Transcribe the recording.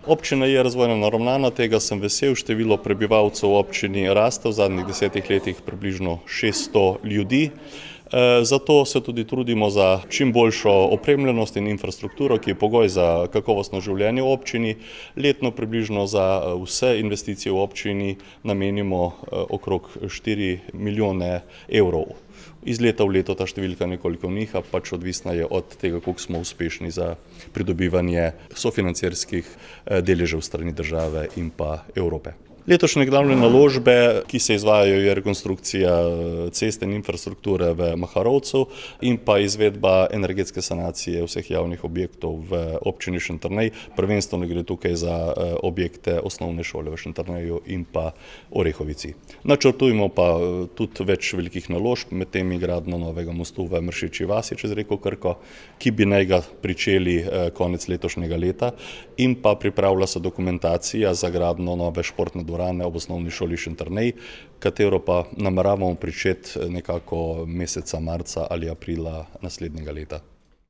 Občina je razvojno naravnana, tega sem vesel, število prebivalcev v občini raste, v zadnjih 10 letih približno 600 ljudi. Zato se tudi trudimo za čim boljšo opremljenost in infrastrukturo, ki je pogoj za kakovostno življenje v občini. Letno približno za vse investicije v občini namenimo okrog 4 milijone evrov. Iz leta v leto ta številka nekoliko niha, pač odvisna je od tega, koliko smo uspešni za pridobivanje sofinancirskih deležev strani države in pa Evrope. Letošnje glavne naložbe, ki se izvajajo, je rekonstrukcija ceste in infrastrukture v Maharovcu in pa izvedba energetske sanacije vseh javnih objektov v občini Šentjernej. Prvenstveno gre tukaj za objekte osnovne šole v Šentjerneju in pa Orehovici. Načrtujemo pa tudi več velikih naložb, med temi gradnjo novega mostu v Mršičji vasi čez reko Krko, ki bi naj ga pričeli konec letošnjega leta, in pa pripravlja se dokumentacija za gradnjo nove športne dvorane ob osnovni šoli Šentjernej, katero pa nameravamo pričeti nekako meseca marca ali aprila naslednjega leta.